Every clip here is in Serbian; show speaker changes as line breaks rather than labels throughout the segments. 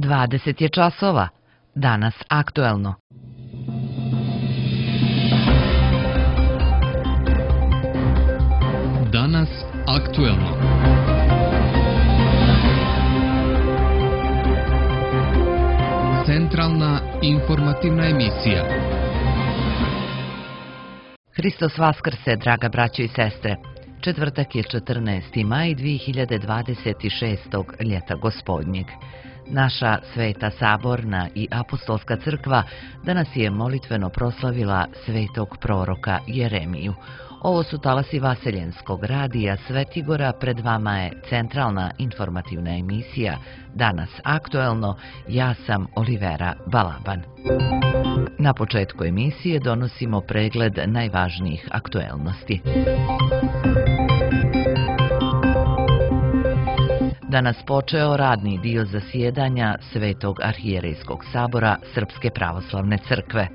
20 je časova. Danas aktuelno.
Danas aktuelno. Centralna informativna emisija.
Hristos Vaskrse, draga braćo i sestre. Četvrtak je 14. maj 2026. ljeta gospodnjeg. Naša Sveta Saborna i Apostolska crkva danas je molitveno proslavila svetog proroka Jeremiju. Ovo su talasi Vaseljenskog radija Svetigora, pred vama je centralna informativna emisija Danas aktuelno, ja sam Olivera Balaban. Na početku emisije donosimo pregled najvažnijih aktuelnosti. Danas počeo radni dio zasjedanja Svetog arhijerejskog sabora Srpske pravoslavne crkve.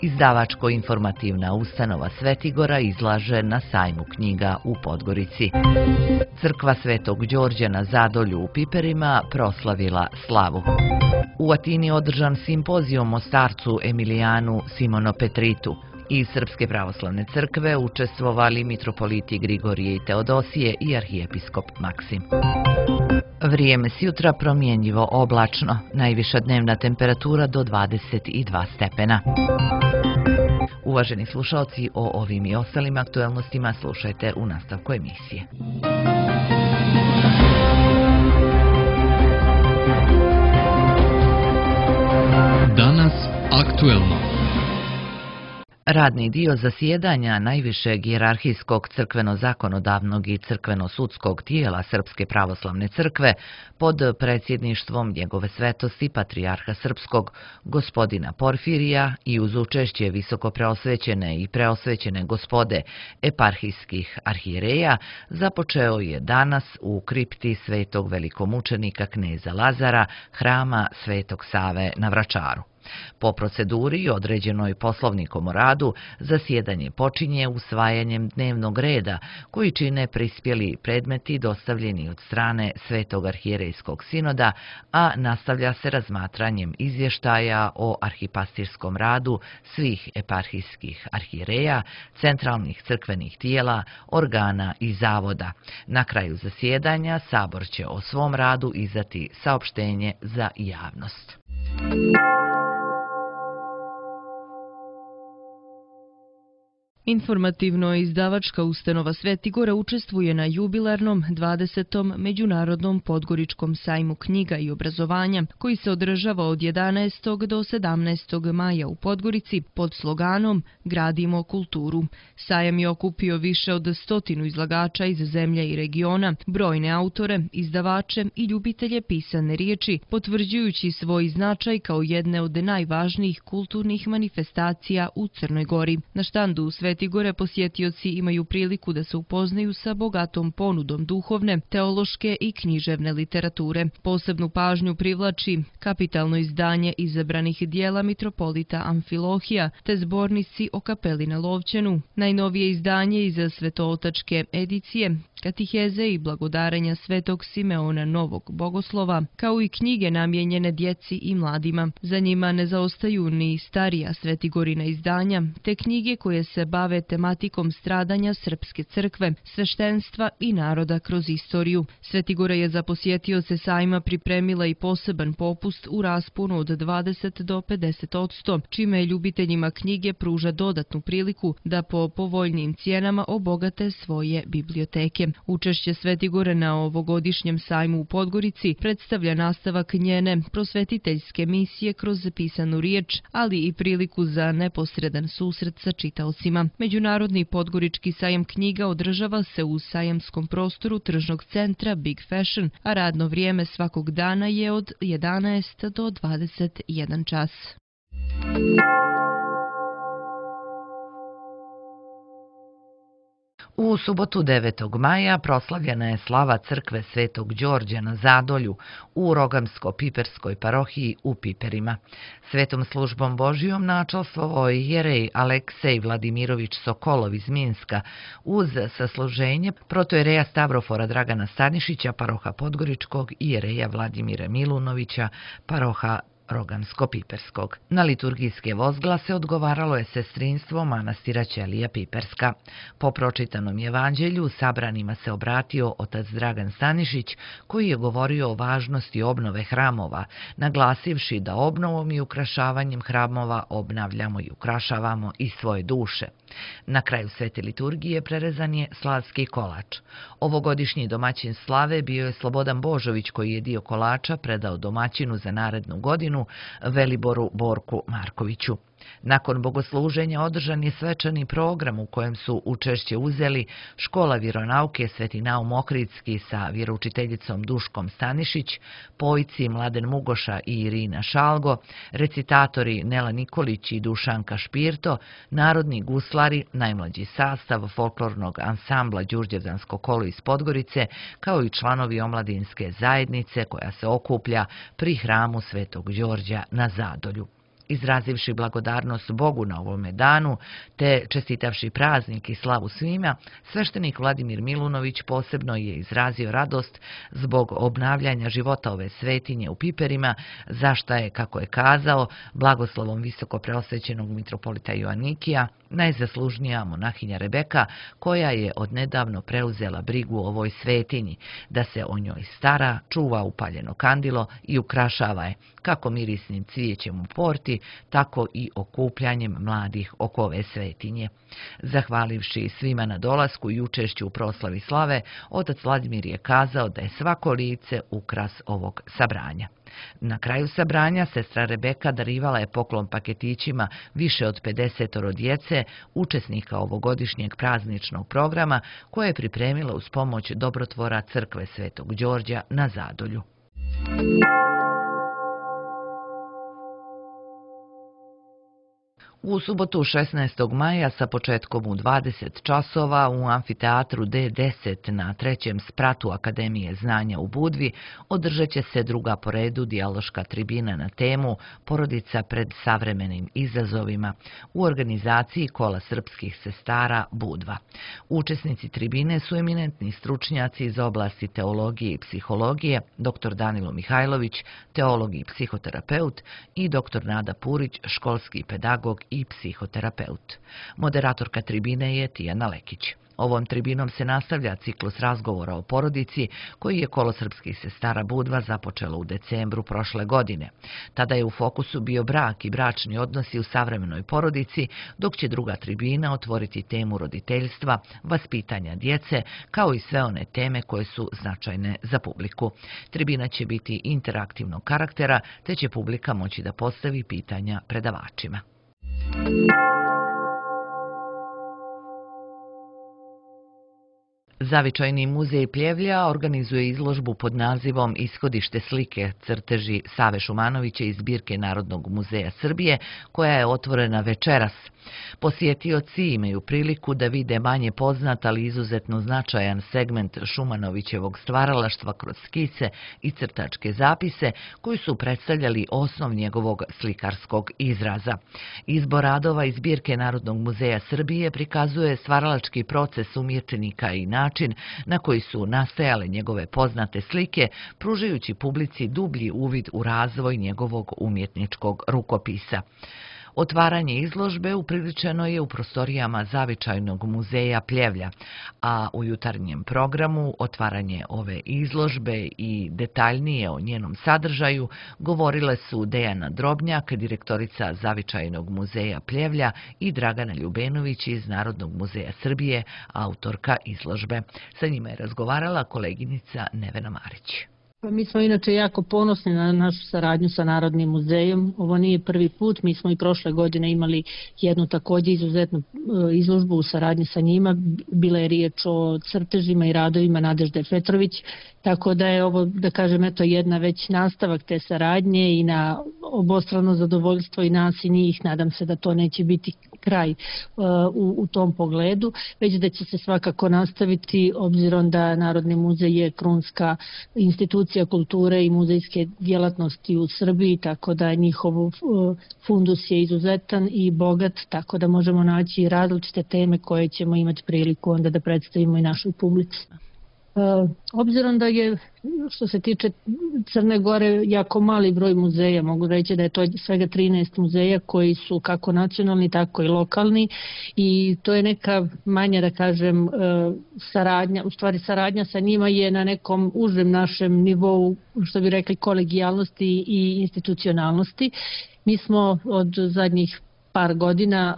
Izdavačko-informativna ustanova Svetigora izlaže na sajmu knjiga u Podgorici. Crkva Svetog Đorđa na Zadolju u Piperima proslavila slavu. U Atini održan simpozijum o starcu Emilijanu Simonopetritu. Iz Srpske pravoslavne crkve učestvovali mitropoliti Grigorije i Teodosije i arhijepiskop Maksim. Vrijeme s jutra promjenjivo oblačno, najviša dnevna temperatura do 22 stepena. Uvaženi slušalci, o ovim i ostalim aktuelnostima slušajte u nastavku emisije.
Danas aktuelno.
Radni dio zasjedanja najvišeg hijerarhijskog crkveno-zakonodavnog i crkveno-sudskog tijela Srpske pravoslavne crkve pod predsjedništvom njegove svetosti patrijarha srpskog gospodina Porfirija i uz učešće visokopreosvećene i preosvećene gospode eparhijskih arhijereja započeo je danas u kripti svetog velikomučenika kneza Lazara, hrama Svetog Save na Vračaru. Po proceduri određenoj Poslovnikom o radu, zasjedanje počinje usvajanjem dnevnog reda koji čine prispjeli predmeti dostavljeni od strane Svetog arhijerejskog sinoda, a nastavlja se razmatranjem izvještaja o arhipastirskom radu svih eparhijskih arhijereja, centralnih crkvenih tijela, organa i zavoda. Na kraju zasjedanja Sabor će o svom radu izdati saopštenje za javnost.
Informativno-izdavačka ustanova Svetigora učestvuje na jubilarnom 20. Međunarodnom podgoričkom sajmu knjiga i obrazovanja koji se održava od 11. do 17. maja u Podgorici pod sloganom Gradimo kulturu. Sajam je okupio više od 100 izlagača iz zemlje i regiona, brojne autore, izdavače i ljubitelje pisane riječi, potvrđujući svoj značaj kao jedne od najvažnijih kulturnih manifestacija u Crnoj Gori. Na štandu u Svetigore posjetioci imaju priliku da se upoznaju sa bogatom ponudom duhovne, teološke i književne literature. Posebnu pažnju privlači kapitalno izdanje izabranih dijela mitropolita Amfilohija te zbornici o kapeli na Lovćenu, najnovije izdanje iz svetootačke edicije, katiheze i blagodarenja Svetog Simeona Novog Bogoslova, kao i knjige namijenjene djeci i mladima. Za njima ne zaostaju ni starija Svetigorina izdanja, te knjige koje se bave tematikom stradanja Srpske crkve, sveštenstva i naroda kroz istoriju. Svetigora je za posjetioce sajma pripremila i poseban popust u rasponu od 20 do 50%, čime ljubiteljima knjige pruža dodatnu priliku da po povoljnijim cijenama obogate svoje biblioteke. Učešće Svetigore na ovogodišnjem sajmu u Podgorici predstavlja nastavak njene prosvetiteljske misije kroz pisanu riječ, ali i priliku za neposredan susret sa čitaocima. Međunarodni podgorički sajam knjiga održava se u sajamskom prostoru tržnog centra Big Fashion, a radno vrijeme svakog dana je od 11 do 21 čas.
U subotu 9. maja proslavljena je slava crkve Svetog Đorđa na Zadolju u Rogamsko-Piperskoj parohiji u Piperima. Svetom službom Božijom načalstvovao je jerej Aleksej Vladimirović Sokolov iz Minska uz sasluženje protojereja Stavrofora Dragana Stanišića, paroha Podgoričkog, i jereja Vladimira Milunovića, paroha Rogamsko-Piperskog. Na liturgijske vozglase odgovaralo je sestrinstvo manastira Ćelija Piperska. Po pročitanom evanđelju sabranima se obratio otac Dragan Stanišić, koji je govorio o važnosti obnove hramova, naglasivši da obnovom i ukrašavanjem hramova obnavljamo i ukrašavamo i svoje duše. Na kraju svete liturgije prerezan je slavski kolač. Ovogodišnji domaćin slave bio je Slobodan Božović, koji je dio kolača predao domaćinu za narednu godinu, Veliboru Borku Markoviću. Nakon bogosluženja održan je svečani program u kojem su učešće uzeli Škola vjeronauke Sveti Naum Ohridski sa vjeroučiteljicom Duškom Stanišić, pojci Mladen Mugoša i Irina Šalgo, recitatori Nela Nikolić i Dušanka Špirto, narodni guslari, najmlađi sastav folklornog ansambla Đurđevdansko kolo iz Podgorice, kao i članovi omladinske zajednice koja se okuplja pri hramu Svetog Đorđa na Zadolju. Izrazivši blagodarnost Bogu na ovome danu, te čestitavši praznik i slavu svima, sveštenik Vladimir Milunović posebno je izrazio radost zbog obnavljanja života ove svetinje u Piperima, za šta je, kako je kazao, blagoslovom visoko preosvećenog mitropolita Joanikija, najzaslužnija monahinja Rebeka, koja je odnedavno preuzela brigu o ovoj svetinji, da se o njoj stara, čuva upaljeno kandilo i ukrašava je, kako mirisnim cvijećem u porti, tako i okupljanjem mladih oko ove svetinje. Zahvalivši svima na dolasku i učešću u proslavi slave, otac Vladimir je kazao da je svako lice ukras ovog sabranja. Na kraju sabranja sestra Rebeka darivala je poklon paketićima više od 50 djece, učesnika ovogodišnjeg prazničnog programa, koje je pripremila uz pomoć dobrotvora crkve Svetog Đorđa na Zadolju. U subotu 16. maja sa početkom u 20 časova u amfiteatru D10 na trećem spratu Akademije znanja u Budvi održat će se druga po redu dijaloška tribina na temu Porodica pred savremenim izazovima u organizaciji Kola srpskih sestara Budva. Učesnici tribine su eminentni stručnjaci iz oblasti teologije i psihologije, dr. Danilo Mihajlović, teolog i psihoterapeut, i dr. Nada Purić, školski pedagog i psihoterapeut. Moderatorka tribine je Tijana Lekić. Ovom tribinom se nastavlja ciklus razgovora o porodici koji je Kolo srpskih sestara Budva započelo u decembru prošle godine. Tada je u fokusu bio brak i bračni odnosi u savremenoj porodici, dok će druga tribina otvoriti temu roditeljstva, vaspitanja djece, kao i sve one teme koje su značajne za publiku. Tribina će biti interaktivnog karaktera, te će publika moći da postavi pitanja predavačima. Zavičajni muzej Pljevlja organizuje izložbu pod nazivom Ishodište slike, crteži Save Šumanovića iz zbirke Narodnog muzeja Srbije, koja je otvorena večeras. Posjetioci imaju priliku da vide manje poznat, ali izuzetno značajan segment Šumanovićevog stvaralaštva kroz skice i crtačke zapise koji su predstavljali osnov njegovog slikarskog izraza. Izbor radova iz zbirke Narodnog muzeja Srbije prikazuje stvaralački proces umjetnika i način na koji su nastajale njegove poznate slike, pružajući publici dublji uvid u razvoj njegovog umjetničkog rukopisa. Otvaranje izložbe upriličeno je u prostorijama Zavičajnog muzeja Pljevlja, a u jutarnjem programu otvaranje ove izložbe i detaljnije o njenom sadržaju govorile su Dejana Drobnjak, direktorica Zavičajnog muzeja Pljevlja, i Dragana Ljubenović iz Narodnog muzeja Srbije, autorka izložbe. Sa njima je razgovarala koleginica Nevena Marić.
Mi smo inače jako ponosni na našu saradnju sa Narodnim muzejom. Ovo nije prvi put, mi smo i prošle godine imali jednu također izuzetnu izložbu u saradnji sa njima. Bila je riječ o crtežima i radovima Nadežde Petrović, tako da je ovo, da kažem, jedna već nastavak te saradnje i na obostrano zadovoljstvo i nas i njih. Nadam se da to neće biti kraj u tom pogledu, već da će se svakako nastaviti, obzirom da Narodni muzej je krunska institucija kulture i muzejske djelatnosti u Srbiji, tako da njihov fundus je izuzetan i bogat, tako da možemo naći različite teme koje ćemo imati priliku onda da predstavimo i našoj publici. Obzirom da je, što se tiče Crne Gore, jako mali broj muzeja, mogu reći da je to svega 13 muzeja koji su kako nacionalni, tako i lokalni, i to je neka manja, da kažem, saradnja, u stvari saradnja sa njima je na nekom užem našem nivou, što bi rekli, kolegijalnosti i institucionalnosti. Mi smo od zadnjih par godina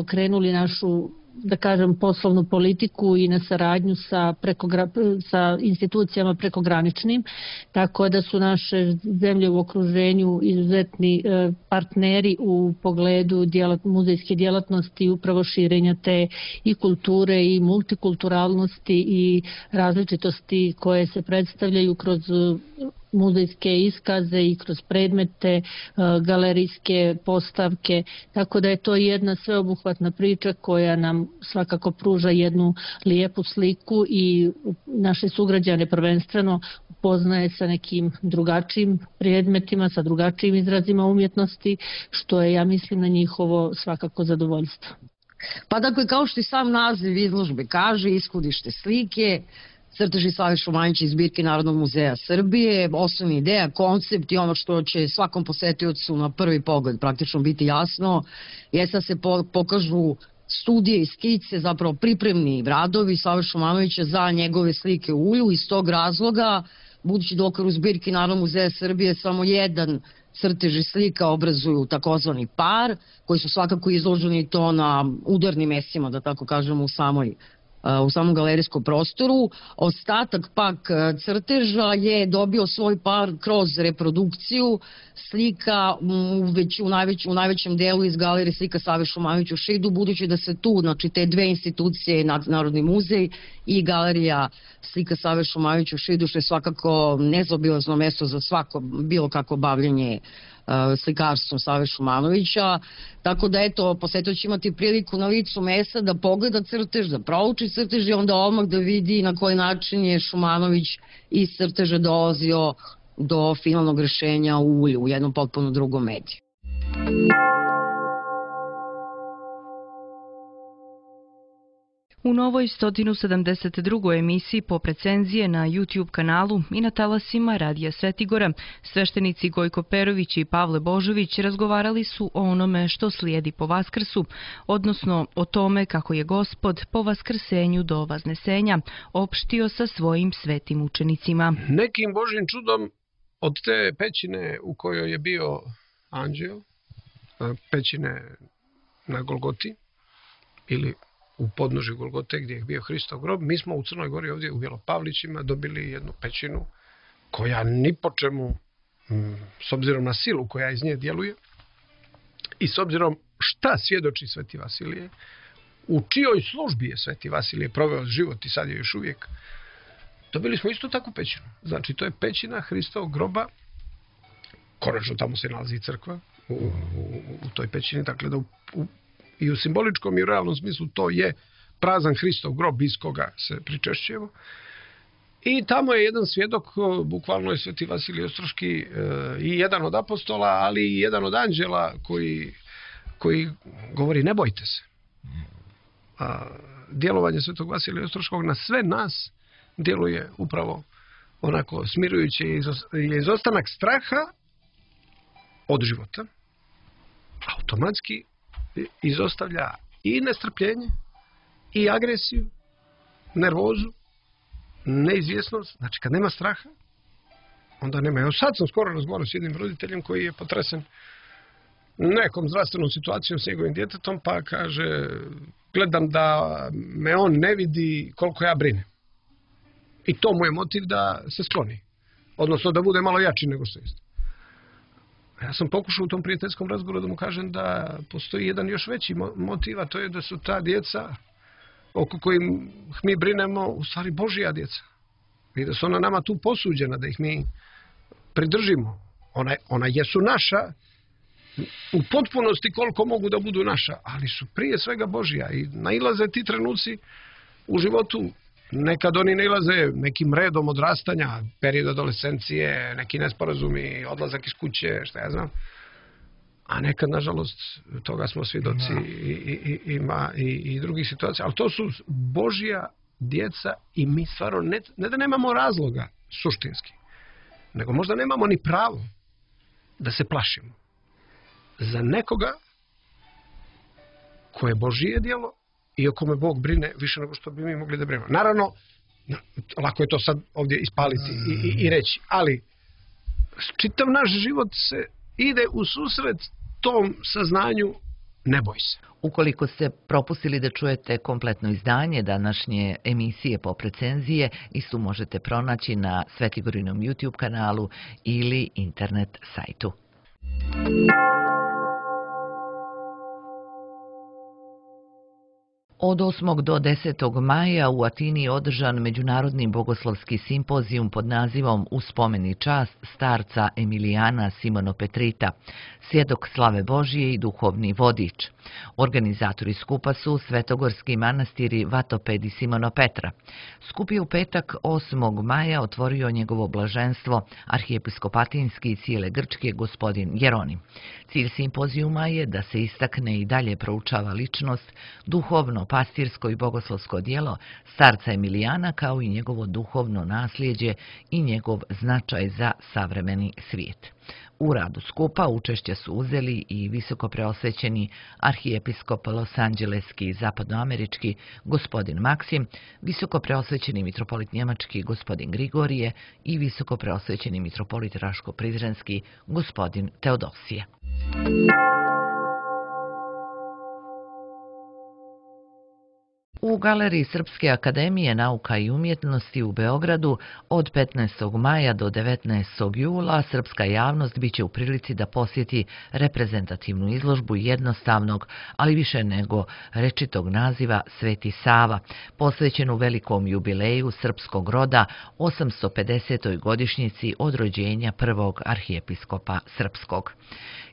okrenuli našu, da kažem, poslovnu politiku i na saradnju sa institucijama prekograničnim, tako da su naše zemlje u okruženju izuzetni partneri u pogledu muzejske djelatnosti, upravo širenja te i kulture i multikulturalnosti i različitosti koje se predstavljaju kroz muzejske iskaze i kroz predmete, galerijske postavke, tako da je to jedna sveobuhvatna priča koja nam svakako pruža jednu lijepu sliku i naše sugrađane prvenstveno upoznaje sa nekim drugačijim predmetima, sa drugačijim izrazima umjetnosti, što je, ja mislim, na njihovo svakako zadovoljstvo.
Pa dakle, kao što i sam naziv izložbe kaže, ishodište slike, crteži Save Šumanovića iz zbirke Narodnog muzeja Srbije, osnovna ideja, koncept i ono što će svakom posetiocu na prvi pogled praktično biti jasno, je da se pokažu studije i skice, zapravo pripremni radovi Save Šumanovića za njegove slike u ulju. Iz tog razloga, budući da u okviru zbirke Narodnog muzeja Srbije samo jedan crtež i slika obrazuju takozvani par, koji su svakako izloženi to na udarnim mestima, da tako kažemo, u samom galerijskom prostoru. Ostatak pak crteža je dobio svoj par kroz reprodukciju slika u najvećem delu iz galerije slika Save Šumanovića u Šidu, budući da se tu, znači te dve institucije, Narodni muzej i galerija slika Save Šumanovića u Šidu, što je svakako nezaobilazno mesto za svako bilo kako bavljenje slikarstvom Save Šumanovića, tako da eto, posjetioc će imati priliku na licu mesta da pogleda crtež, da prouči crtež i onda odmah da vidi na koji način je Šumanović iz crteža dolazio do finalnog rešenja u ulju, u jednom potpuno drugom mediju.
U novoj 172. emisiji pop recenzije na YouTube kanalu i na talasima Radija Svetigora, sveštenici Gojko Perović i Pavle Božović razgovarali su o onome što slijedi po Vaskrsu, odnosno o tome kako je Gospod po Vaskrsenju do Vaznesenja opštio sa svojim svetim učenicima.
Nekim Božjim čudom od te pećine u kojoj je bio anđeo, pećine na Golgoti ili u podnožju Golgote gdje je bio Hristov grob, mi smo u Crnoj Gori ovdje u Bjelopavlićima dobili jednu pećinu koja ni po čemu, s obzirom na silu koja iz nje djeluje i s obzirom šta svjedoči Sveti Vasilije, u čijoj službi je Sveti Vasilije proveo život i sad je još uvijek, dobili smo isto takvu pećinu. Znači, to je pećina Hristovog groba, konačno tamo se nalazi crkva u toj pećini, dakle da i u simboličkom i u realnom smislu to je prazan Hristov grob iz koga se pričešćujemo. I tamo je jedan svjedok, bukvalno je Sveti Vasilij Ostroški i jedan od apostola, ali i jedan od anđela koji govori ne bojte se. Djelovanje Svetog Vasilija Ostroškog na sve nas djeluje upravo onako smirujuće je izostanak straha od života, automatski izostavlja i nestrpljenje, i agresiju, nervozu, neizvjesnost. Znači, kad nema straha, onda nema. Evo sad sam skoro razgovarao s jednim roditeljem koji je potresen nekom zdravstvenom situacijom s njegovim djetetom, pa kaže, gledam da me on ne vidi koliko ja brinem. I to mu je motiv da se skloni. Odnosno da bude malo jači nego što jeste. Ja sam pokušao u tom prijateljskom razgovoru da mu kažem da postoji jedan još veći motiv, a to je da su ta djeca oko kojih mi brinemo u stvari Božja djeca. I da su ona nama tu posuđena, da ih mi pridržimo. Ona jesu naša, u potpunosti koliko mogu da budu naša, ali su prije svega Božja i nailaze ti trenuci u životu. Nekad oni nailaze nekim redom odrastanja, period adolescencije, neki nesporazumi, odlazak iz kuće, šta ja znam. A nekad, nažalost, toga smo svjedoci i drugih situacija. Ali to su Božja djeca i mi stvarno ne da nemamo razloga suštinski, nego možda nemamo ni pravo da se plašimo za nekoga koje je Božije djelo i o kome Bog brine više nego što bi mi mogli da brinemo. Naravno, lako je to sad ovdje ispaliti i reći, ali čitav naš život se ide u susret tom saznanju, ne boj se.
Ukoliko ste propustili da čujete kompletno izdanje današnje emisije Pop recenzije, istu možete pronaći na Svetigorinom YouTube kanalu ili internet sajtu. Od 8. do 10. maja u Atini je održan međunarodni bogoslovski simpozijum pod nazivom U spomen i čast starca Emilijana Simonopetrita, svjedok slave Božije i duhovni vodič. Organizatori skupa su Svetogorski manastiri Vatoped i Simonopetra. Skup je u petak 8. maja otvorio njegovo blaženstvo arhijepiskop Atinski i cijele Grčke gospodin Jeronim. Cilj simpozijuma je da se istakne i dalje proučava ličnost, duhovno, pastirsko i bogoslovsko djelo starca Emilijana kao i njegovo duhovno nasljeđe i njegov značaj za savremeni svijet. U radu skupa učešće su uzeli i visoko preosvećeni arhijepiskop Los Angeleski i zapadnoamerički gospodin Maksim, visoko preosvećeni mitropolit njemački gospodin Grigorije i visoko preosvećeni mitropolit Raško-Prizrenski gospodin Teodosije. U Galeriji Srpske akademije nauka i umjetnosti u Beogradu od 15. maja do 19. jula srpska javnost biće u prilici da posjeti reprezentativnu izložbu jednostavnog, ali više nego rečitog naziva Sveti Sava, posvećenu velikom jubileju srpskog roda 850. godišnjici od rođenja prvog arhijepiskopa srpskog.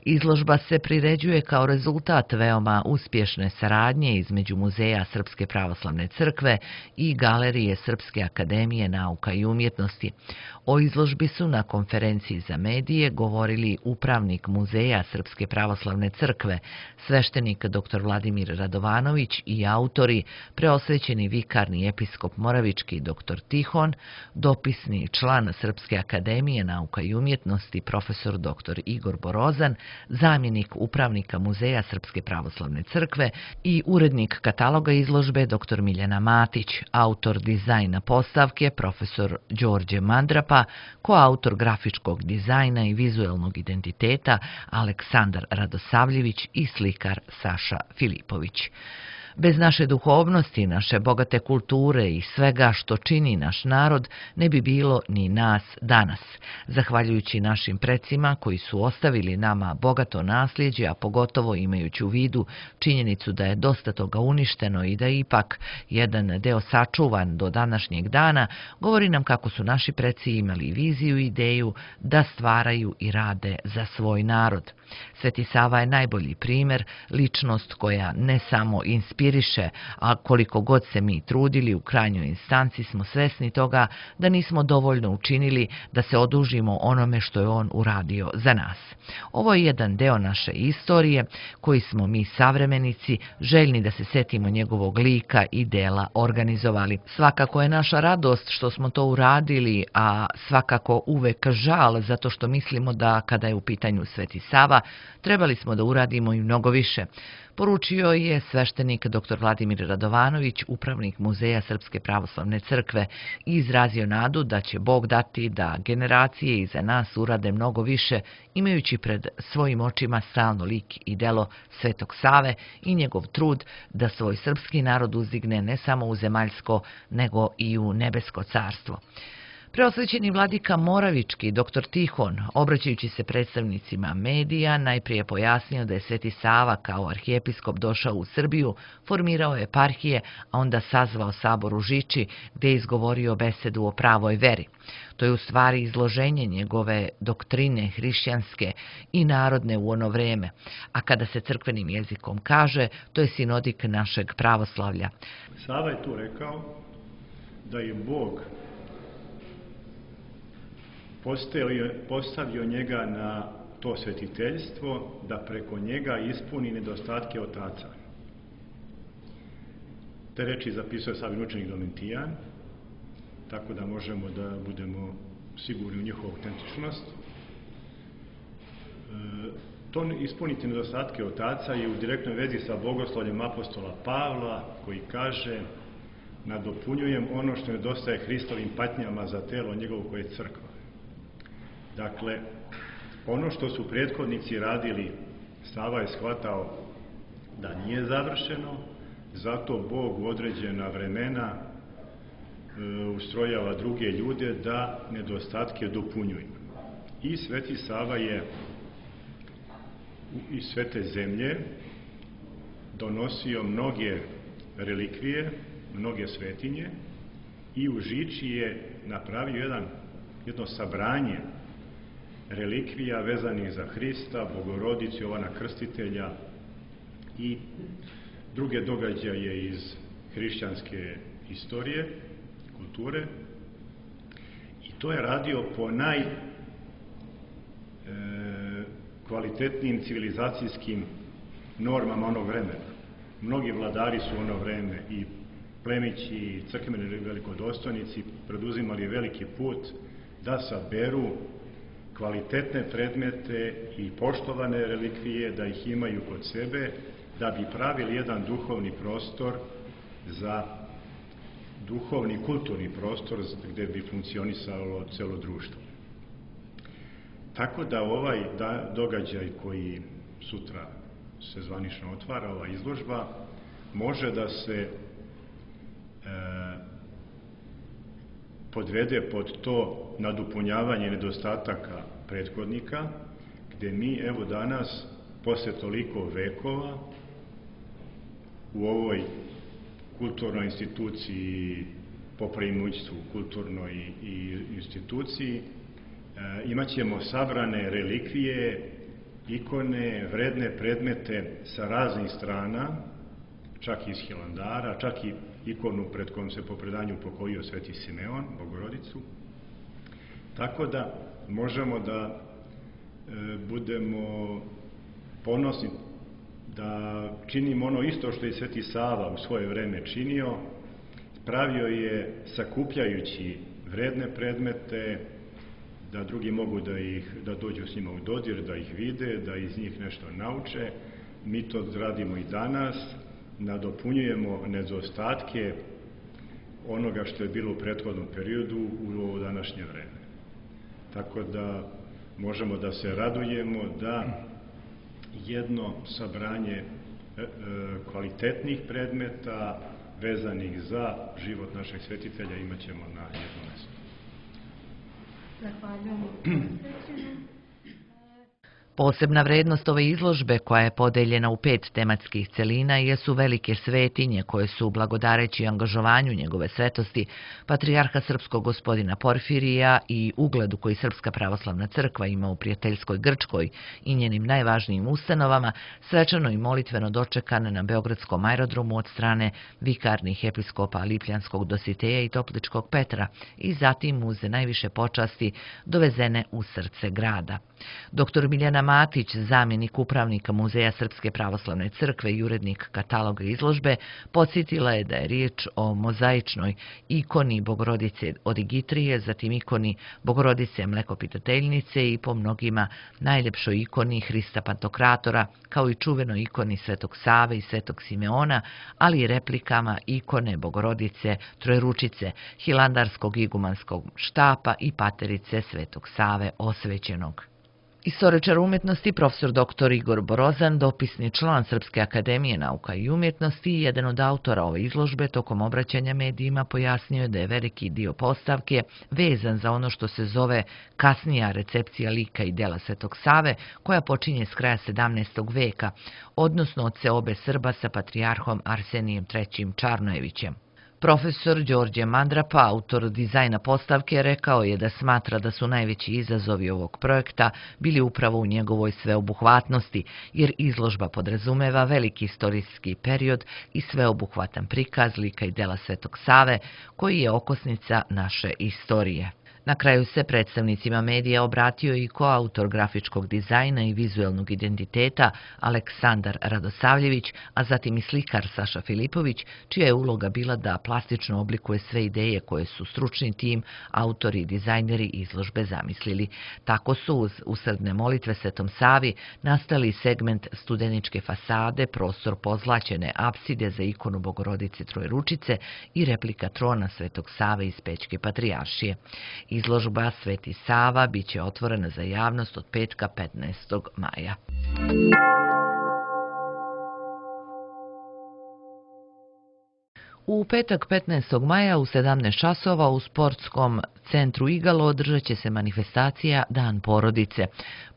Izložba se priređuje kao rezultat veoma uspješne saradnje između Muzeja Srpske pravoslavne crkve i Galerije Srpske akademije nauka i umjetnosti. O izložbi su na konferenciji za medije govorili upravnik Muzeja Srpske pravoslavne crkve, sveštenik dr. Vladimir Radovanović i autori, preosvećeni vikarni episkop Moravički dr. Tihon, dopisni član Srpske akademije nauka i umjetnosti profesor dr. Igor Borozan, zamjenik upravnika Muzeja Srpske pravoslavne crkve i urednik kataloga izložbe dr. Miljana Matić, autor dizajna postavke profesor Đorđe Mandrapa, koautor grafičkog dizajna i vizuelnog identiteta Aleksandar Radosavljević i slikar Saša Filipović. Bez naše duhovnosti, naše bogate kulture i svega što čini naš narod, ne bi bilo ni nas danas. Zahvaljujući našim precima koji su ostavili nama bogato nasljeđe, a pogotovo imajući u vidu činjenicu da je dosta toga uništeno i da je ipak jedan deo sačuvan do današnjeg dana, govori nam kako su naši preci imali viziju i ideju da stvaraju i rade za svoj narod. Sveti Sava je najbolji primjer, ličnost koja ne samo inspiriše, a koliko god se mi trudili, u krajnjoj instanci smo svesni toga da nismo dovoljno učinili da se odužimo onome što je on uradio za nas. Ovo je jedan deo naše istorije koji smo mi savremenici željni da se setimo njegovog lika i dela organizovali. Svakako je naša radost što smo to uradili, a svakako uvek žal zato što mislimo da kada je u pitanju Sveti Sava trebali smo da uradimo i mnogo više. Poručio je sveštenik dr. Vladimir Radovanović, upravnik Muzeja Srpske pravoslavne crkve, i izrazio nadu da će Bog dati da generacije iza nas urade mnogo više, imajući pred svojim očima stalno lik i delo Svetog Save i njegov trud da svoj srpski narod uzdigne ne samo u zemaljsko, nego i u nebesko carstvo. Preosvećeni vladika Moravički, dr. Tihon, obraćajući se predstavnicima medija, najprije pojasnio da je Sveti Sava kao arhijepiskop došao u Srbiju, formirao eparhije, a onda sazvao sabor u Žiči, gdje je izgovorio besedu o pravoj veri. To je u stvari izloženje njegove doktrine hrišćanske i narodne u ono vreme, a kada se crkvenim jezikom kaže, to je sinodik našeg pravoslavlja.
Sava je tu rekao da je Bog postavio njega na to svetiteljstvo da preko njega ispuni nedostatke otaca. Te reči zapisuje Savin učenik Domitijan, tako da možemo da budemo sigurni u njihovu autentičnost. To ispuniti nedostatke otaca je u direktnoj vezi sa bogoslovljem apostola Pavla, koji kaže: nadopunjujem ono što nedostaje Hristovim patnjama za telo njegovo koje je crkva. Dakle, ono što su prethodnici radili, Sava je shvatao da nije završeno, zato Bog u određena vremena ustrojava druge ljude da nedostatke dopunjuju. I Sveti Sava je iz Svete zemlje donosio mnoge relikvije, mnoge svetinje i u Žiči je napravio jedno sabranje relikvija vezanih za Hrista, Bogorodicu, Jovana Krstitelja i druge događaje iz hrišćanske istorije, kulture. I to je radio po najkvalitetnijim civilizacijskim normama onog vremena. Mnogi vladari su ono vreme i plemići i crkveni velikodostojnici preduzimali veliki put da saberu kvalitetne predmete i poštovane relikvije, da ih imaju kod sebe, da bi pravili jedan duhovni prostor za duhovni kulturni prostor gdje bi funkcionisalo celo društvo. Tako da ovaj događaj koji sutra se zvanično otvara, ova izložba, može da se podvede pod to nadopunjavanje nedostataka prethodnika, gdje mi evo danas, posle toliko vekova, u ovoj kulturnoj instituciji, po preimućstvu kulturnoj i instituciji, imat ćemo sabrane relikvije, ikone, vredne predmete sa raznih strana, čak i iz Hilandara, čak i ikonu pred kojom se po predanju pokojio Sveti Simeon, Bogorodicu. Tako da možemo da budemo ponosni da činimo ono isto što je Sveti Sava u svoje vreme činio. Pravio je sakupljajući vredne predmete, da drugi mogu da dođu s njima u dodir, da ih vide, da iz njih nešto nauče. Mi to radimo i danas, nadopunjujemo nedostatke onoga što je bilo u prethodnom periodu u ovo današnje vreme. Tako da možemo da se radujemo da jedno sabranje kvalitetnih predmeta vezanih za život našeg svetitelja imat ćemo na jednom mjestu.
Posebna vrednost ove izložbe, koja je podeljena u 5 tematskih celina, jesu velike svetinje koje su, blagodareći angažovanju njegove svetosti, patrijarha srpskog gospodina Porfirija i ugledu koji Srpska pravoslavna crkva ima u prijateljskoj Grčkoj i njenim najvažnijim ustanovama, svečano i molitveno dočekane na Beogradskom aerodromu od strane vikarnih episkopa Lipljanskog Dositeja i Topličkog Petra i zatim uz najviše počasti dovezene u srce grada. Dr. Miljana Matić, zamjenik upravnika Muzeja Srpske pravoslavne crkve i urednik kataloga izložbe, podsjetila je da je riječ o mozaičnoj ikoni Bogorodice Odigitrije, zatim ikoni Bogorodice Mlekopitateljnice i po mnogima najljepšoj ikoni Hrista Pantokratora, kao i čuvenoj ikoni Svetog Save i Svetog Simeona, ali i replikama ikone Bogorodice Trojeručice, Hilandarskog igumanskog štapa i paterice Svetog Save osvećenog. Istoričar umjetnosti profesor dr. Igor Borozan, dopisni član Srpske akademije nauka i umjetnosti i jedan od autora ove izložbe, tokom obraćanja medijima pojasnio je da je veliki dio postavke vezan za ono što se zove kasnija recepcija lika i dela Svetog Save, koja počinje s kraja 17. veka, odnosno od seobe Srba sa patrijarhom Arsenijem III. Čarnojevićem. Profesor Đorđe Mandrapa, autor dizajna postavke, rekao je da smatra da su najveći izazovi ovog projekta bili upravo u njegovoj sveobuhvatnosti, jer izložba podrazumeva veliki istorijski period i sveobuhvatan prikaz lika i dela Svetog Save, koji je okosnica naše istorije. Na kraju se predstavnicima medija obratio i koautor grafičkog dizajna i vizuelnog identiteta Aleksandar Radosavljević, a zatim i slikar Saša Filipović, čija je uloga bila da plastično oblikuje sve ideje koje su stručni tim, autori i dizajneri izložbe zamislili. Tako su uz usrdne molitve Svetom Savi nastali segment studeničke fasade, prostor pozlaćene apside za ikonu Bogorodice Trojeručice i replika trona Svetog Save iz Pećke patrijaršije. Izložba Sveti Sava biće otvorena za javnost od petka 15. maja. U petak 15. maja u 17 časova u sportskom centru Igalo održat će se manifestacija Dan porodice.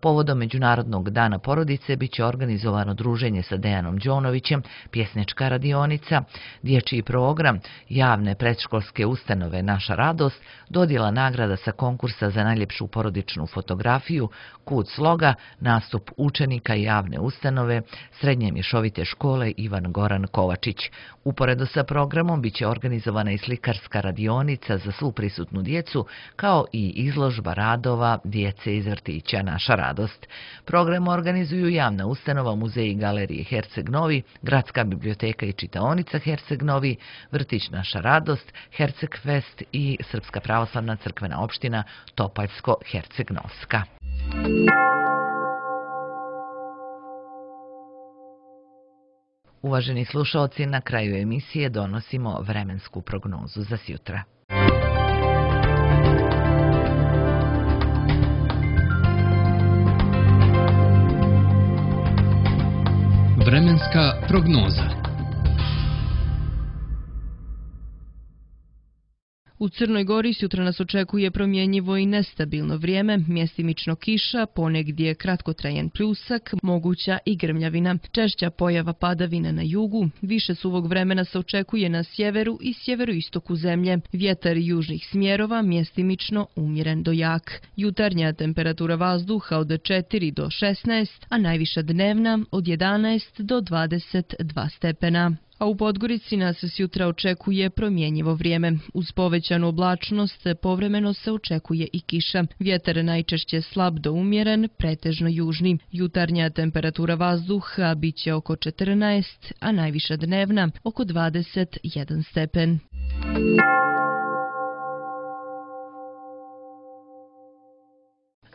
Povodom Međunarodnog dana porodice biće organizovano druženje sa Dejanom Đonovićem, pjesnička radionica, dječji program, javne predškolske ustanove Naša radost, dodjela nagrada sa konkursa za najljepšu porodičnu fotografiju, kud sloga, nastup učenika javne ustanove, srednje mješovite škole Ivan Goran Kovačić. Uporedo sa programom biće organizovana i slikarska radionica za svu prisutnu djecu, kao i izložba radova djece iz vrtića Naša radost. Program organizuju javna ustanova, muzej i galerije Herceg Novi, Gradska biblioteka i čitaonica Herceg Novi, vrtić Naša radost, Herceg Fest i Srpska pravoslavna crkvena opština Topaljsko-Herceg-Novska. Uvaženi slušaoci, na kraju emisije donosimo vremensku prognozu za sjutra.
Vremenska prognoza.
U Crnoj Gori sutra nas očekuje promjenjivo i nestabilno vrijeme, mjestimično kiša, ponegdje kratkotrajan pljusak, moguća i grmljavina, češća pojava padavina na jugu, više suvog vremena se očekuje na sjeveru i sjeveroistoku zemlje, vjetar južnih smjerova, mjestimično umjeren do jak. Jutarnja temperatura vazduha od 4 do 16, a najviša dnevna od 11 do 22 stepena. A u Podgorici nas sjutra očekuje promjenjivo vrijeme. Uz povećanu oblačnost povremeno se očekuje i kiša. Vjetar najčešće slab do umjeren, pretežno južni. Jutarnja temperatura vazduha biće oko 14, a najviša dnevna oko 21 stepen.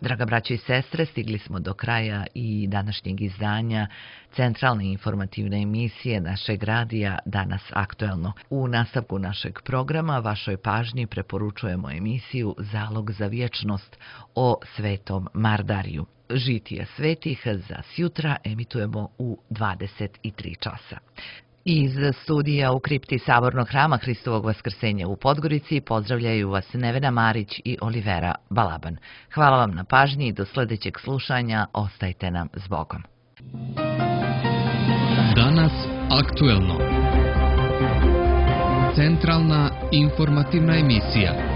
Draga braćo i sestre, stigli smo do kraja i današnjeg izdanja centralne informativne emisije našeg radija Danas aktuelno. U nastavku našeg programa vašoj pažnji preporučujemo emisiju Zalog za vječnost o Svetom Mardariju. Žitija svetih za sjutra emitujemo u 23 časa. Iz studija u kripti Sabornog hrama Hristovog vaskrsenja u Podgorici pozdravljaju vas Nevena Marić i Olivera Balaban. Hvala vam na pažnji i do sljedećeg slušanja ostajte nam s Bogom.
Danas aktuelno. Centralna informativna emisija.